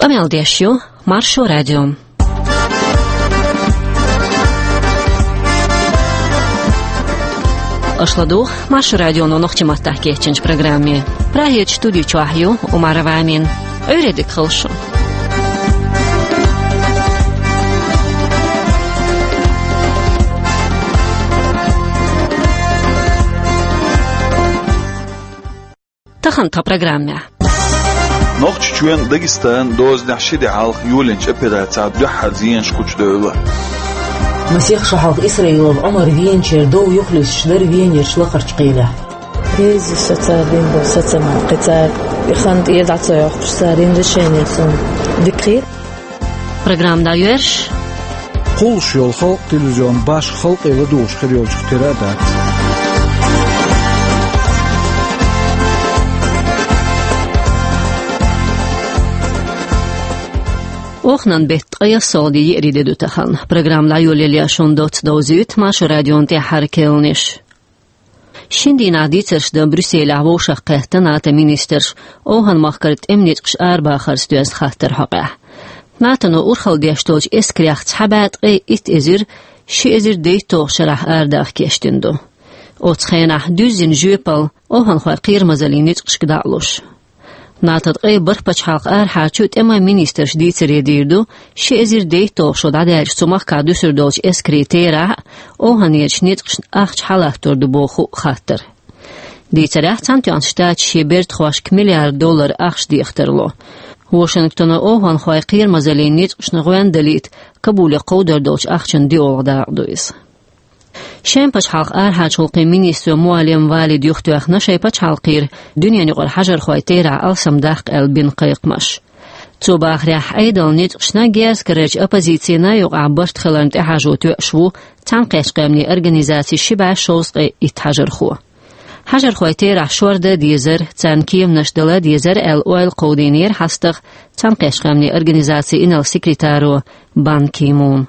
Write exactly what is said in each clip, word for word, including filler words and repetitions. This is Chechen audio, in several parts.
Къамел деш ю Маршо радио. Аша ладугӀу Маршо радионо нохчийн маттахь кечйинчу программе. Прагерчу студи чохь ю Умарова Амина. Ӏуьйре дика хуьлда шун. Тахана тхан программехь. Нохчийчоьнан, Дагестанан дозанехь ши де хьалха йолийначу операцехь дуьххьара зенаш гучудевлла. Масех шо хьалха Исраилов Ӏумар веначеран дов юхалуьстуш дара Венерчу лакхарчу кхелехь. Реза со цара дина долу сацаман, кхин цара и хан тӀера дӀа ца йоккхуш, цара йина решение суна дика хета. Программа дӀайоьрзуш. Кхуллуш йолу халкъан телевизион башха халкъе ладугӀуш хир йолчух тера а дац. Оханан беттан ткъе ялхитта де, еарин де ду тахана. Программа дӀайолале шуна доцца довзуьйту Маршо радион тӀаьххьара керланаш. Шина дийнахь дийцарш дан Брюсселехь вовшахкхетта НАТО-н министраш, ОвхӀан-махкара тӀеман ницкъаш арабахарца доьзна хаттаран хьокъехь. НАТО-но урхалла деш долчу эскарех цхьа бӀе ткъе итт эзар ши эзар дейтталгӀачу шарахь арадаха кечдина ду. Оцу хенахь дуьззина жоьпалла ОвхӀанхойн кхерамазаллин ницкъашка дӀа а луш. НАТО-н ткъе бархӀ пачхьалкхан арахьарчу тӀеман министраш дийцаре дийр ду, ши эзар дейтталгӀа шо дӀадаьлча цу махкахь дуьсур долчу эскарийн терахь а, ОвхӀанерчу ницкъашна ахча хьалаттор ду боху а хаттар. Дийцарехь, Цхьаьнатоьхначу Штаташа шен бертахошка миллиард доллар ахча деха тарло. Вашингтоно ОвхӀанхойн кхерамазаллин ницкъашна гӀоьнна далийта Кабуле кховдор долчу ахчанан диъолгӀа дакъа ду иза. Шеман пачхьалкхан арахьарчу гӀуллакхийн министро Муаллем Валида юхатоьхна шайн пачхьалкхера дуьненаюкъара хьажархойн терахь алсамдаккха аьлла бина кхайкхамаш. Цо бахарехь, Ӏедалан ницкъашна, герз карарчу оппозицина юкъахь барт хиларна тӀехьажо тоьуш ву Цхьаьнакхеттачу Къаьмнийн Организацин ши бӀе шовзткъе итт хьажархо. Хьажархойн терахь шордан а дезара, царна кеманаш дала а дезара аьлла, ойла кховдийнера хьастагӀа Цхьаьнакхеттачу Къаьмнийн Организацин инарла секретаро Бан Ки Муна.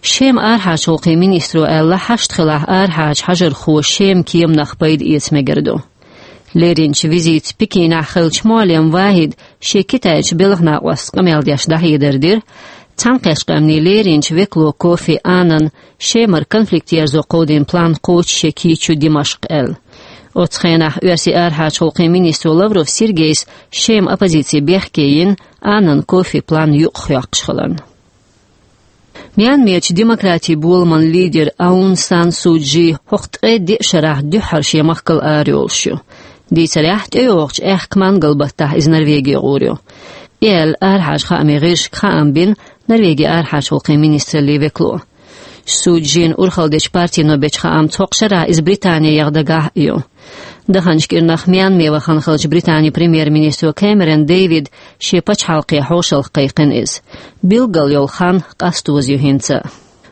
Шеман арахьарчу гӀуллакхийн министро аьлла, хьашт хилахь арахьарчу хьажархо Шеман кеманах пайда эца мегар ду. Леринчу визитца Пекинехь хиллачу Муаллем Вахида шен Китайчу белхан накъостаца къамел деш дӀахьедар дира, Цхьаьнакхеттачу Къаьмнийн леринчу векало Кофи Аннана Шемара конфликт ерзо кховдийна план кхочушъян кийча ю Димашкъ аьлла. Оцу хенахь оьрсийн арахьарчу гӀуллакхийн министро Лавров Сергейс Шеман оппозици бехке йина, Аннана Кофи план юкъахъёккхуш хиларна. Мьянмерчу демократин боламан лидер Аун Сан Су Чжи хӀокху ткъе диъ шарахь дуьххьара шен махкал арайолуш ю. Дийцарехь, тӀейогӀучу аьхка мангал баттахь иза Норвеге гӀур ю. И аьлла, арахьарчу хаамийн гӀирсашка хаам бина Норвегин арахьарчу гӀуллакхийн министраллин векало. Су Чжин урхалла дечу партино бечу хаамца, хӀокху шарахь иза Британи яха дагахь а ю. Даханчу кӀирнах Мьянме вахана хиллачу Британин премьер-министро Кэмерон Дэвида шен пачхьалкхе хьошалгӀа кхайкхина иза. Билггал йолу хан къастоза ю хӀинца а.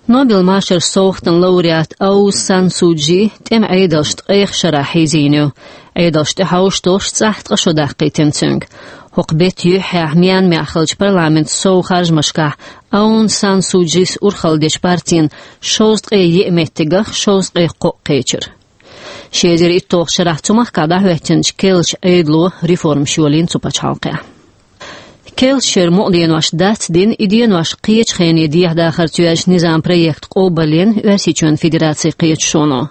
Нобелан машаран совгӀатан лауреат Аун Сан Су Чжи тӀеман Ӏедалшна ткъех шарахь хьийзийна ю. Ӏедалшна тӀехьовшадолуш цӀахь ткъа шо даккхийтина цуьнга. ХӀокху беттан юьххьехь Мьянмехь хиллачу парламентан сов харжамашкахь Аун Сан Су Чжис урхалла дечу партина шовзткъе еа меттигах шовзткъе кхоъ кхечира. Ши эзар итталгӀачу шарахь цу махкахь дӀахӀоьттинчу керлачу Ӏедало реформаш йолийна цу пачхьалкхехь. Керлачу шеран мукъа денош дацдина, и денош кхечу хене дехьадахарца йоьзначу низаман проект къобалйина Оьрсийчоьнан Федерацин кхеташоно.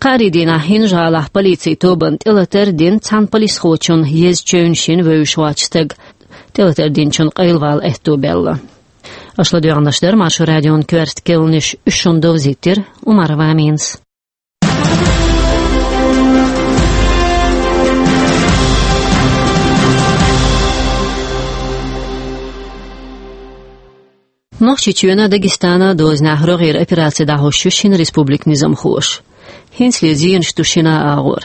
Кхаарин дийнахь ХӀинжа-ГӀалахь полицин тобанна тӀелатар а дина, цхьана полисхочунна еза чевнаш йина вевзаш воцу стаг. ТӀелатар динчунна къайлавала аьтто баьлла. Аша ладоьгӀнарш дара Маршо радион коьрта керланаш, уьш шуна довзийтира Умарова Аминас. Нохчийчоьнан, Дагестанан дозанехь рогӀера операци дӀахьош ю шина республикан низамхоша. ХӀинцале зенаш ду шина агӀор.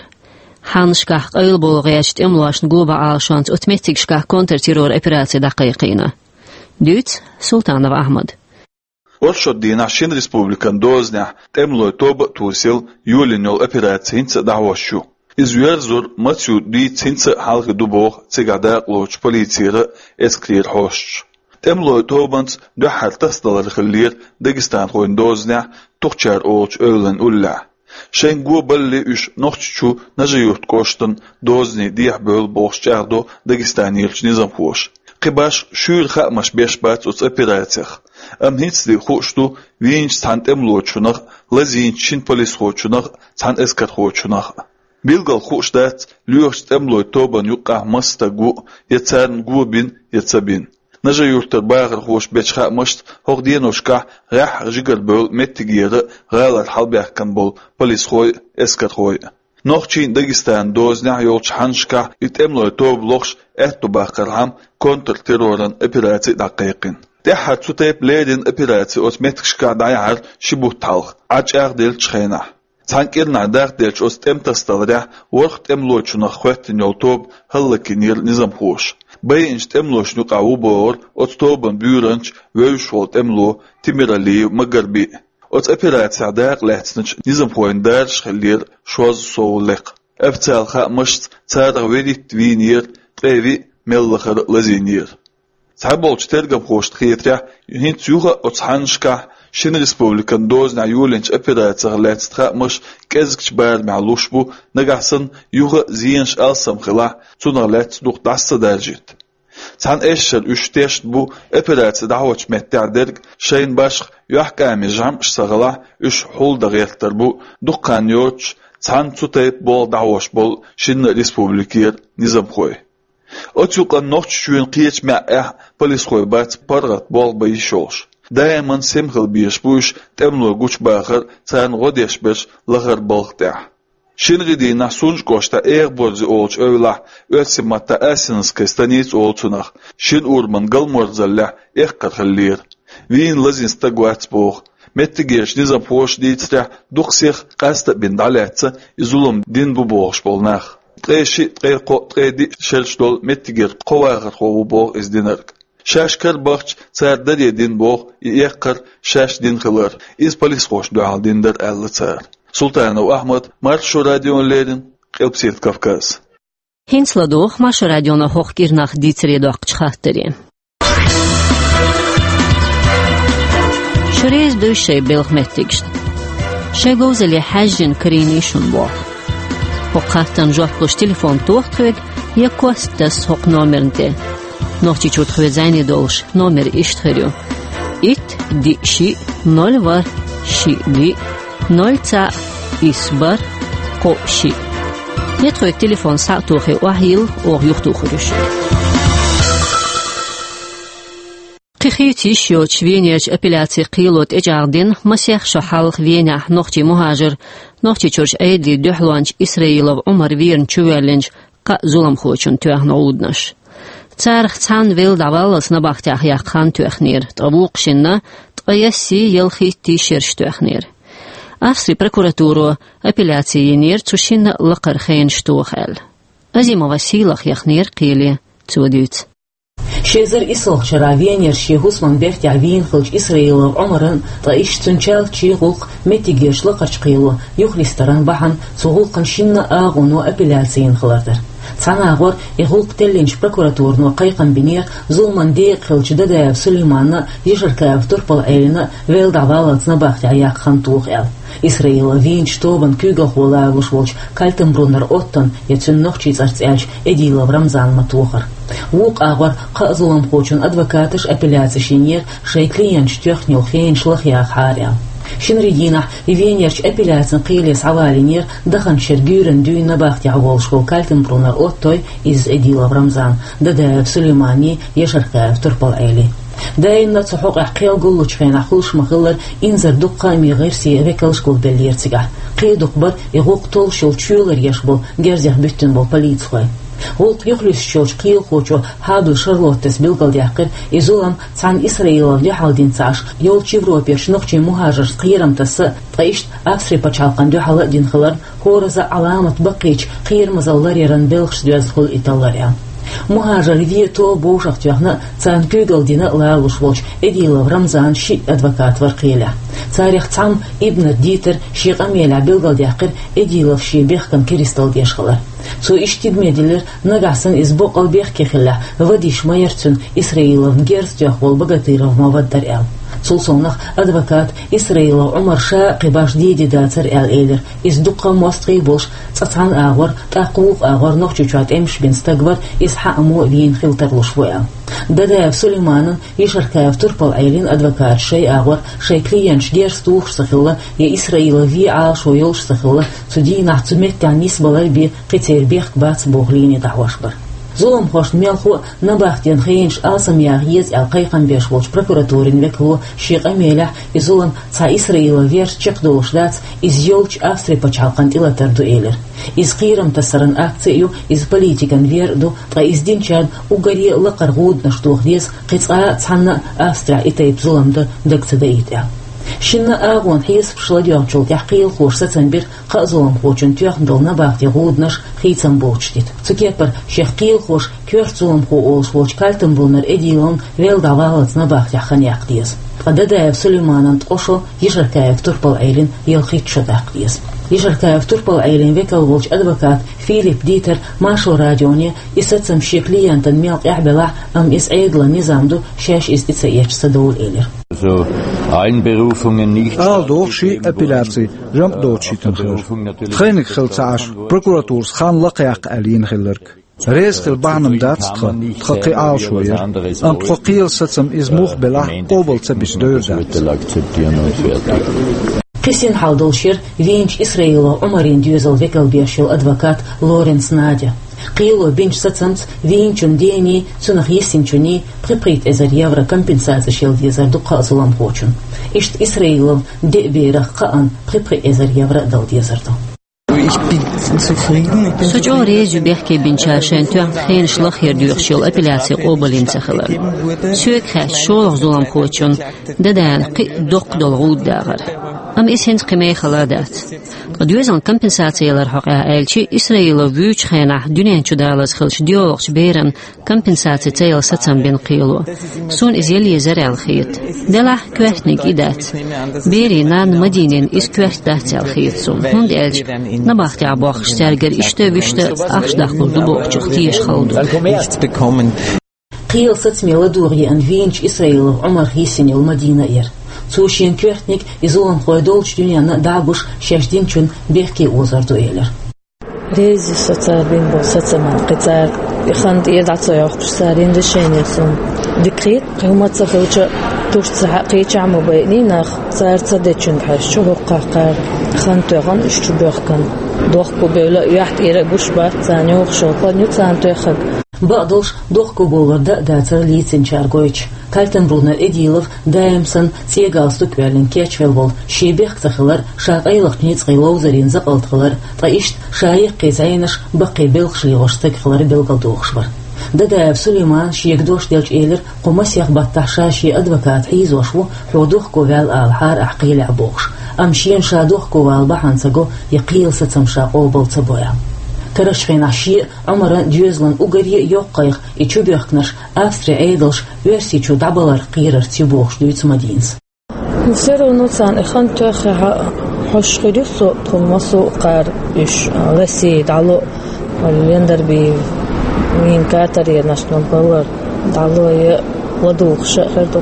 Хьаннашкахь къайлаболу гӀертачу тӀемалошна го бан Ӏалашонца оцу меттигашкахь контртеррор операци дӀакхайкхийна. Дуьйцу Султанов Ахьмада. Оршот дийнахь шина республикан дозанехь тӀемалойн тоба а тосийла, йолийна йолу операци хӀинца а дӀахьош ю. Иза йоьрзура мацйо дийца хӀинца а хьалхе ду боху цигахь дакъалоцучу полицера а, эскарера хьосташа. ТӀемалойн тобанца дуьххьара тасадалар хиллера дагестанхойн дозанехь Тухчар олучу эвлан уллехь. Шайн го баллалц уьш Нохчийчу Нажи-Юрт кӀоштан дозанийн дехьабевлла бохуш чӀагӀдо Дагестанерчу низамхоша. Кхы башха шуьйра хаамаш беш бац оцу операцех. Амма хӀинцале хууш ду вийначу цхьана тӀемалочунах а, лазийначу шина полисхочунах а, цхьана эскархочунах а. Билггал хууш дац, лоьхучу тӀемалойн тобанна юккъехь маса стаг ву, я царна го бина, я ца бина. Нажи-Юьртара бахархоша бечу хаамашца, хӀокху деношкахь гӀеххьа жигарабевлла меттигера а, гӀалара хьалабаьхкина болу полисхой а, эскархой а. Нохчийн а, Дагестанан дозанехь йолчу хьаннашкахь и тӀемалойн тоба лохуш аьтто баккхархьама, контртерроран операци а дӀакхайкхина. ТӀаьххьара цу тайпа леррина операци оцу меттигашкахь дӀаяхьара ши бутт хьалха, Ӏа чӀагӀделлачу хенахь. Цхьана кӀирнахь дахделлачу оцу тӀеман тасадаларехь ворхӀ тӀемалочунах хоьттина йолу тоба хӀаллакйинера низамхоша. Байинчу тӀемалошна юкъахь ву бохура оцу тобанан буьйранча вевзаш волу тӀемало Тимиралиев Магарби а. Оцу операцехь дакъа лаьцначу низамхойн даржаш хиллера шозза сов лекха. Официалан хаамашца, царах вуьрхӀитта вийнера, ткъе виъ мел лахара а лазийнера. Цхьаболчу тергамхошна хетарехь, хӀинца юха а оцу хьаннашкахь шина республикан дозанехь йолийначу операцех лаьцна хаамаш кӀезигчу барамехь луш бу, нагахь санна юха а зенаш алсам хилахь, цунах лаьцна дукха дӀаса ца даржийта. Цхьана эшшара уьш тешна бу операци дӀахьочу меттехь дерг шайна башха йохкамийн жамӀаш ца хилахь, уьш хьулдан гӀертар бу дукха хан йоцуш цхьана цу тайпа болх дӀахьош болу шинна республикера низамхой. Оцу юкъанна Нохчийчоьнан кхечу маьӀӀехь полисхой бац паргӀат болх бан йиш йолуш. Даиман сема хила безаш бу уьш тӀемалой гучубахар, царна гӀо деш берш лахара балха тӀехь. Шина гӀи дийнахь Сунжа кӀоштахь Эгаборзе олучу эвлахь, оьрсийн маттахь Асиновская станица олу цунах, шина ураман галморзаллехь эккхар хиллера. Вийна лазийна стаг вац боху. Меттигерчу низамхоша дийцарехь, дукха сиха къаста а бина дӀалаьцна и зулам дина бу бохуш болу нах. Ткъе шиъ, ткъе кхоъ, ткъе диъ шераш долу меттигера кхо вахархо ву боху иза динарг. Шаьш карабахча, цара даре дина боху и эккхар шаьш дина хилар, иза полисхошна дуьхьал дина дара аьлла цара. Султанов Ахьмад, Маршо радиона леррина, Къилбаседа Кавказ. ХӀинца ладогӀа Маршо радионо хӀокху кӀирнах дийцаре доккхучу хаттаре. Шуьренца дуй шайн белхан меттигашна. Шайн говзалле хьаьжжина карийний шуна боху. ХӀокху хаттарна жоп луш телефон тоха тхоьга, я кост таса хӀокху номерна тӀе. Нохчийчу тхоьца зӀене долуш номер иштта хир ю: итт, диъ, шиъ, ноль, ворхӀ, шиъ, диъ, ноль, цхьаъ, исс, бархӀ, кхоъ, шиъ. Я тхоьца телефон схьа а тохий, охьайилла, оха юхатухур ю шуьга. Кхин хийца йиш йоцуш Венерчу апелляцин кхело тӀечӀагӀдина масех шо хьалха Венехь нохчийн мухӀажар, Нохчийчуьрчу Ӏедалан дуьхьалонча Исраилов Ӏумар верна чувоьллинчу кхаа зуламхочунна тоьхна гӀуданаш. Царах цхьанна велла дӀаваллалц набахтехь яккха хан тоьхнера, ткъа вукху шинна ткъе ялхиттий шераш тоьхнера. Австрин прокуратуро апелляци йинера цу шинна лакхара хенаш тоха аьлла. Азимова Сийлаха яхнера кхеле, цо дуьйцу. Ши эзар иссалгӀачу шарахь Венерчу шен хӀусаман бертехь вийна хиллачу Исраилов Ӏумаран, ткъа иштта цуьнан чалччийн гӀуллакх меттигерчу лакхарчу кхело юхалистаран бахьана цу гӀуллакхна шинна агӀоно апелляци йина хилар дара. Цхьана агӀор и гӀуллакх теллинчу прокуратуро кхайкхам бинера зуламан декъа хиллачу Дадаев Сулейманна а, Ешаркаев Турпал-Ӏелина а велла дӀаваллалц набахтехь яккха хан тоха аьлла. Исраилов вийначу тобанан куьйгалхо лоруш волчу Кальтенбруннер Оттона я цуьнан нохчийн цӀарца аьлча Эдилов Рамзанна ма-тохара. Вукху агӀор кхаа зуламхочун адвокаташа апелляци йинера шайн клиенташа тоьхна йолу хенаш лахъяхьара аьлла. Шинарин дийнахь Венерчу апелляцин кхеле схьавалийнера даханчу шеран гуьйранна дуьйна набахтехь волуш волу Кальтенбруннер Оттой, изза Эдилов Рамзан, Дадаев Сулеймани, Ешаркаев Турпал-Ӏели. Даимна а цу хьокъехь кхел гуллучу хенахь хуьлуш ма-хиллара, инзаре дукха хаамийн гӀирсийн векалш гулбеллера цигахь. Кхин а дукха бара и гӀуллакх толлуш йолу чоьлар еш болу герзех буьттина болу полицихой. ГӀуллакх юхалуьстуш йолчу кхелахочо Хьабл Шарлоттес билгалдаьккхира, и зулам цхьана Исраиловна дуьхьал дина ца Ӏаш, йолчу Европерчу нохчийн мухӀажаршна кхерам тасса а, ткъа иштта Австрин пачхьалкхана дуьхьал а дина хиларна, хӀоразза а Ӏаламат баккхийчу кхерамазалла ларъяран белхашца доьзна хуьлу и таллар аьлла. МухӀажарийн вен тоба вовшахтоьхна а, царна куьйгалла дина а лоруш волчу Эдилов Рамзанан шиъ адвокат вара кхелехь. Царех цхьамма Ибнер Дитера шен къамелехь билгалдаьккхира Эдилов шен бехкан керсталла деш хилар. Цо иштта тидаме диллира, нагахь санна иза боккъал бехке хиллехь, вадийш ма яра цуьнан Исраиловна герз тоьхна волу Богатыров ма-вадара аьлла. Цул совнагӀа адвоката Исраилов Ӏумара ша а кхин башха де дезаш дацар аьлла элира. Иза дуккха а мостагӀий болуш, цкъа цхьана агӀор, тӀаккха вукху агӀор Нохчийчохь тӀемаш бина стаг вара, иза хьаъ а вийна хила тарлуш ву аьлла. Дадаев Сулейманан, Ешаркаев Турпал-Ӏелин адвокаташа шайн агӀор, шайн клиенташ герз тухуш ца хилла, я Исраилов вен Ӏалашо йолуш ца хилла, цу дийнахь цу меттехь нисбалар бен кхин церан бехк бац боху линий дӀахьош бара. Зуламхошна мелхо а, набахтен хенаш алсамъяха еза аьлла кхайкхам беш волчу прокуратурин векало шен къамелехь, и зулам цхьа Исраилов верца чекхдолуш дац, иза йолчу Австри пачхьалкхан тӀелатар ду элира. Иза кхерам тасаран акци а ю, иза политикан вер а ду, ткъа иза динчарна уггаре а лакхара гӀуданаш тоха деза, кхин цкъа а цхьанна а Австрехь и тайпа зулам дан дага ца даийта аьлла. Шинна а агӀонан хьесапаш ладоьгӀначул тӀаьхьа кхелахоша сацам бира кхаа зуламхочун тоьхна долу набахтин гӀуданаш хийцам боцуш дита. Цу кепара шех кхелахоша коьрта зуламхо олуш волчу Кальтенбруннер Эдиловна велла дӀаваллалц набахтехь хан яккха деза. Ткъа Дадаев Сулейманан ткъа шо, Ешаркаев Турпал-Ӏелин ялхитта шо даккха деза. Ешаркаев Турпал-Ӏелин векал волчу адвоката Филипп Дитера Маршо радионе и сацам шен клиентана мел къахьбелахь а, амма иза Ӏедалан низам ду, шаьш иза тӀе ца эцча ца довла элира. Also, Einberufungen nicht. Ала доху ши апелляци, жамӀ доцуш йитина хилар. Тхайниг хила ца Ӏаш, прокуратурас хан лакхаяккха аьлла йина хилларг. Реза хила бахьана дац тхан, тхан кхин Ӏалашо яра. Амма тхо кхелан сацам иза муха белахь а къобал ца бисча довр дац. Кхин син хьал долуш яра вийначу Исраилов Ӏумаран доьзалан векал беш йолу адвокат Лоренц Надя. Кхело бинчу сацамца вийначун дений, цунах йисинчуний пхи-пхийтта эзар евро компенсацеш яла дезар ду кхаа зуламхочунна. Иштта Исраилов деа берах кхаанна пхи-пхи эзар евро а дала дезар ду. Со чӀогӀа реза ю бехке бинчара шайна тоьхна хенаш лахъяр доьхуш йолу апелляци къобалйина ца хилар. Соьга хаьттича, шолгӀа зуламхочунна, Дадаевна, кхин а доккха долу гӀуда дагӀара. Амма иза хӀинца кхин мехала а дац. Ткъа доьзална компенсаци ялар хьокъехь аьлча, Исраилов вуьйчу хенахь дуьнен чу далаза хиллачу доьалгӀачу берана компенсаци ца яла сацам бина кхело. Суна иза яла езара аьлла хета. Делахь, коьртаниг и дац. Берийн нанна Мадинина иза коьрта дац аьлла хета суна, хӀунда аьлча набахтехь бохкуш цаьргара иштта а вуьшта а ахча даккхалур ду бохучух теша хала ду. Кхелан сацаме ладогӀа еана вийначу Исраилов Ӏумарах йисина йолу Мадина а яра. Цо шена коьртаниг и зуламхой долчу дуьненна а дӀа а гуш, шаьш динчунна бехке озор ду элира. Реза ю со цара бина болу сацамна, кхин цара и хан тӀера дӀа ца йоккхуш, цара йина решение суна дика хета. Кхин хӀума ца хилча, туьрца хьа кхечахь ма байъиний нах, цара ца дечуьнга хьаьжча, хӀокхахь кхара хан тоьхна, уьш чу боьхкана. Дохко бевлла а, юьхь тӀера а гуш бац царна, йохуш йолу хан ю царна тоьхнарг. Бакъдолуш, дохко бовлар дан а дацара лецначара гойтуш. Кальтенбруннер Эдилов даим санна цӀе галстук оьллина кечвелла волу, шен бехк ца хилар, ша къайлахчу ницкъийн ловзарийн закъалт хилар, ткъа иштта ша яккхий зӀенаш, баккхий белхаш лелош стаг хилар билгалдохуш бара. Дадаев Сулеймана шега дош делча элира, кху масех баттахь ша шен адвокат хьийзош ву, хьо дохко ваьлла алахьара ахь кхелехь бохуш. Амма шена ша дохко вала бахьана ца го, я кхелан сацам ша къобал ца бо аьлла. Карарчу хенахь шен а, Ӏумаран а доьзалан уггаре а йоккха кхайкха и чубоьхкинарш Австрин Ӏедалш Оьрсийчу дӀабаларх кхерарца ю бохуш дуьйцу Мадинас. Все равно царна и хан тоьххехь а хьожуш хир ю со, тхуна массо а кхара уьш, а, Россия дӀало а, вала Лендарби вийна катаренаш набалар дӀало а, я ладугӀуш а хир ду.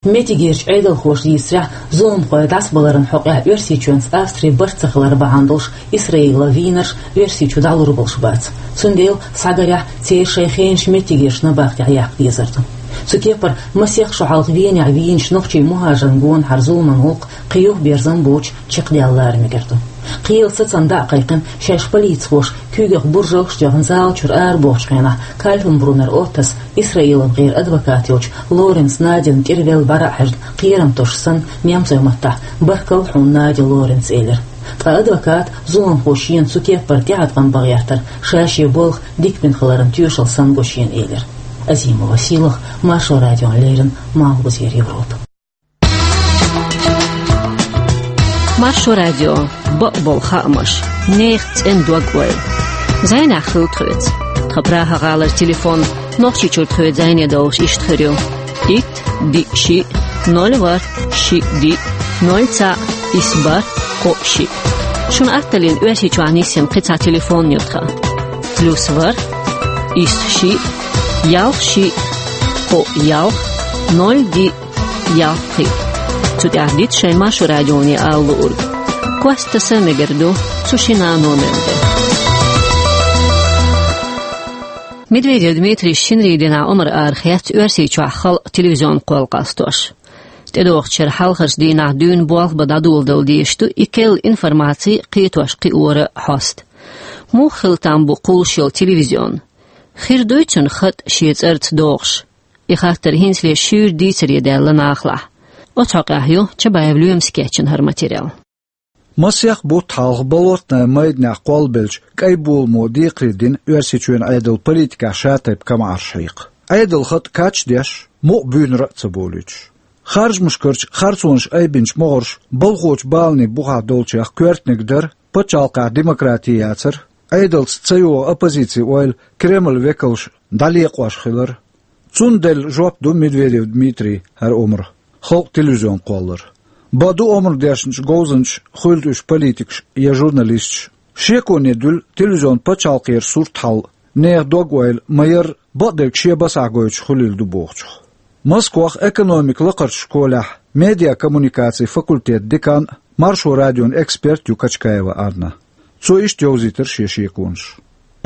Меттигерчу Ӏедалхоша дийцарехь, зуламхой дӀасабаларан хьокъехь Оьрсийчоьнца Австрин барт ца хилар бахьана долуш Исраилан вийнарш Оьрсийчу дӀалур болуш бац. Цундела, схьагарехь, церан шайн хенаш меттигерчу набахтехь яккха дезар ду. Цу кепара, масех шо хьалха Венехь вийначу нохчийн мухӀажарна гонахьара зуламан гӀуллакх кхин юхаберзам боцуш чекхдаьлла лара мегар ду. Кхелан сацам дӀа а кхайкхина, шаьш полицихоша куьйгах буржалгаш а тоьхна зала чуьра арабохучу хенахь, Кальтенбруннер Оттас, Исраиловгара адвокат йолчу Лоренц Надина тӀера велла бӀаьра а хьаьжна, кхерам тосуш санна, немцойн маттахь: «Баркалла хьуна, Надя Лоренц», — элира. Ткъа адвоката зуламхо шена цу кеппара тӀеӀаткъам бан гӀертар ша шен болх дика бина хиларан тоьшалла санна го шена элира. Азимова Сийлаха, Маршо радиона леррина, Малхбузера Европа. Маршо радио, бакъболу хаамаш, нехан цӀена дог-ойла. ЗӀенехь хила тхоьца. Тхан Прага-гӀалара телефон Нохчийчуьра тхоьца зӀене довлуш иштта хир ю: итт, диъ, шиъ, ноль, ворхӀ, шиъ, диъ, ноль, цхьаъ, исс, бархӀ, кхоъ, шиъ. Шуна атталлина Оьрсийчохь нисйина кхин цхьа телефон ю тхан: плюс ворхӀ, исс, шиъ, ялх, шиъ, кхоъ, ялх, ноль, диъ, ялх кхин. Цу тӀехь дита шайн Маршо радионе ала луург. Костаса мегар ду цу шина номер де. Медведев Дмитрий шинарин дийнахь омра арахецна Оьрсийчохь халкъан телевизион кхолла къастош. ТӀедогӀучу шеран хьалхарчу дийнахь дуьйна болх бан дӀадоладала дезаш ду и керла информаци кхетош-кхиоран хьоста. Муха хила там бу кхуллуш йолу телевизион? Хир дуй цуьнан хатӀ шен цӀарца догӀуш? И хаттар хӀинцале шуьйра дийцаре даьлла нахалахь. Оцу хьокъехь ю Чабаев Лоьмас кечйина хӀара материал. Масех бутт хьалха Болотная майданехь кхоллабеллачу кӀайн боламо декхаре дина Оьрсийчоьнан Ӏедалан политикехь шатайпа камаьршо хьекха. Ӏедалан хатӀ кхачадеш, мукъа буьйнара а ца болуьйтуш. Харжамашкарчу харцонаш айбинчу могӀарш балхочу баланийн бухахь долчех коьртаниг дара, пачхьалкхехь демократи яцара, Ӏедалца ца йогӀу оппозицин ойла Кремлан векалша дӀалекъош хилар. Цунна делла жоп ду Медведев Дмитрий хӀара омра, халкъан телевизион кхоллар. Бакъду, омра дешначу говзанчаша, хуьлда уьш политикаш я журналисташ, шеконе дуьллу телевизион пачхьалкхера сурт хьал, нехан дог-ойла ма-ярра, бакъдерг шен басахь гойтуш хуьлийла ду бохучух. Москвахь экономикан лакхарчу школехь медиакоммуникацийн факультетан декан а, Маршо радион эксперт а ю Качкаева Анна. Цо иштта йовзийтира шен шеконаш.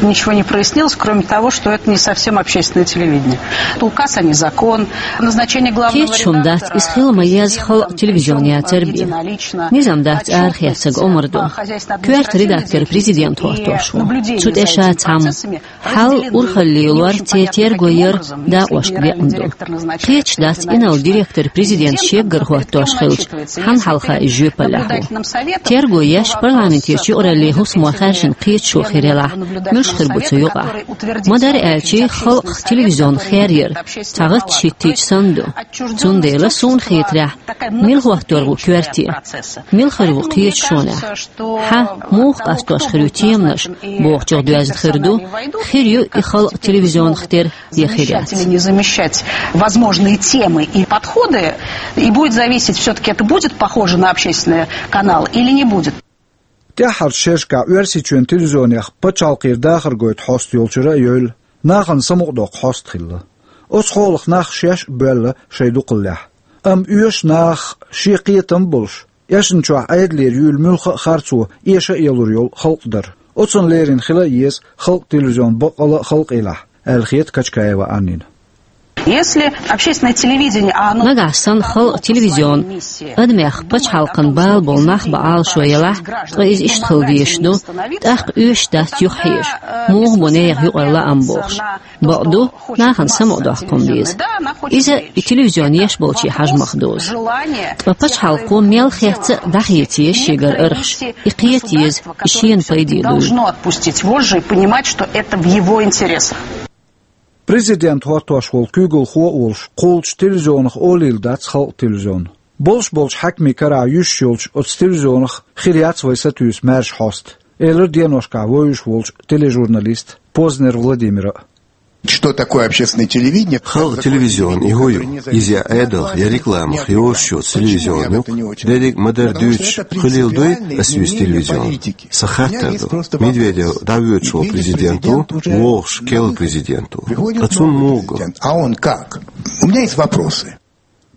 Ничего не прояснилось, кроме того, что это не совсем общественное телевидение. Указ, а не закон. Назначение главного... Кхеташ хӀума дац, иза хила ма-еззара халкъан телевизион яцар бен. Низам дац арахецнарг омра ду. Коьрта редактор президент хӀоттош ву. Цу тӀе ша цхьамма. Хьал урхалле лор, церан терго яр дакъошка бекъна ду. Кхеташ дац, инарла директор президент шеггара хӀоттош хилча, хьанна хьалха иза жоьпаллехь ву. Терго еш, парламентерчу юкъараллин хӀусамо хаьржина кхеташо хир ялахь, муьлш хир бу цу юкъахь? Ма-дарра аьлча, халкъах телевизион хер яр цхьа гӀатташ хӀиттийча санна ду. Цундела суна хетарехь, мила хӀоттор ву коьрте? Мила хир ву кхеташонехь? Хьан, муха къастош хир ю теманаш, бохучух доьзна хир ду, хир ю и халкъан телевизионах тера я хир яц. Или не замещать возможные темы и подходы, и будет зависеть, всё-таки это будет похоже на общественный канал или не будет. ТӀаьххьарчу шерашкахь Оьрсийчоьнан телевизионех пачхьалкхера дахар гойту хьоста йолчуьра а йойла, нахана самукъадоккху хьоста хилла. Оцу хьолах нах шаьш а боьлла шайн дукхаллехь. Амма оьшу нахах шен кхетам а болуш, эшначохь Ӏедалера юьйлу муьлхха а харцо эша а ялур йолу халкъ дара. Оцунна леррина хила а еза халкъан телевизион баккъалла а халкъехь, аьлла хета Качкаева Аннина. Если общественное телевидение, а оно... Нагахь санна халкъан телевизион адамех пачхьалкхан бала болу нах бан Ӏалашо елахь, ткъа иза иштта хила дезаш ду, тӀаккха оьшуш дац юхахьежа, муха бу нехан юкъара лаам бохуш. Бакъду, нахана самукъадоккху хӀума деза. Иза и телевизион еш болче хьажа мах дозу. Ткъа пачхьалкхо мел хетта а дӀахеца еза шегара архаш, и кхета еза, и шена пайде дуйла. Должно отпустить вожжи и понимать, что это в его интересах. Президент хӀоттош волу куьйгалхо а волуш кхуллучу телевизионах олийла дац халкъан телевизион. Болуш болчу хьаькамийн карахь юьсуш йолчу оцу телевизионах хир яц вай сатуьйсу маьрша хьоста, элира деношкахь вевзаш волчу тележурналиста Познер Владимира. Что такое общественное телевидение? Халкъан телевизион и хӀун ю? Иза я Ӏедалх, я рекламах йозуш йоцу телевизион ю? Дерриг а ма-дарра дуьйцуш, хуьлийла дуй ас юьйцу телевизион? Сан хаттар ду. Медведев дӀавоьдуш волу президент ву, вогӀуш керла президент ву. Ткъа цунна муха го? А он как? У меня есть вопросы.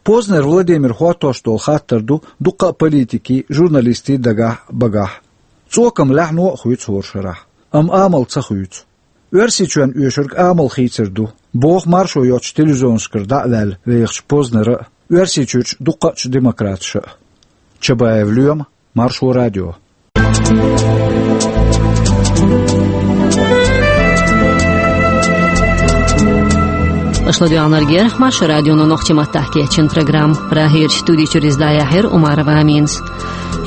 Познер Владимир хӀоттош долу хаттар ду дуккха а политикийн, журналистийн дагахь а, багахь а. ЦӀокам лаьхьано а хуьйцу хӀора шарахь, амма амал ца хуьйцу. Оьрсийчоьнна оьшург амал хийцар ду, боху маршо йоцучу телевизионашкара дӀа а ваьлла вехачу Познера а, Оьрсийчуьрчу дуккхачу демократаша а. Чабаев Лоьма, Маршо радио. Аша ладоьгӀнарг яра Маршо радионо нохчийн маттахь кечйина программа. Прагерчу студи чуьра иза дӀаяьхьира Умарова Аминас.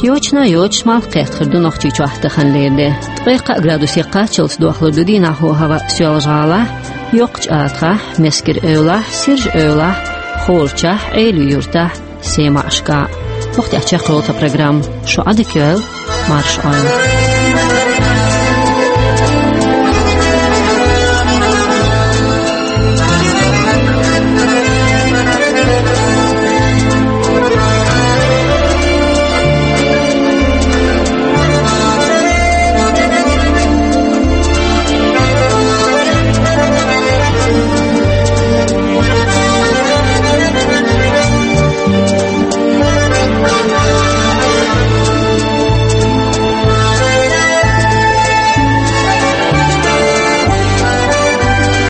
Йочана йоцуш, малх кхетахар ду Нохчийчохь таханлера де. Ткъе кхаа градусе кхаччалц дохлур ду дийнахь хӀаваъ Соьлжа-ГӀалахь, Йоккхачу АтагӀахь, Мескаран-Эвлахь, Сиржа-Эвлахь, Хорачахь, Ӏелин-Юьртахь, Семашкахь. ХӀокху тӀехь чекхйолу тхан программа. Шу Ӏадика йойла, марша Ӏойла.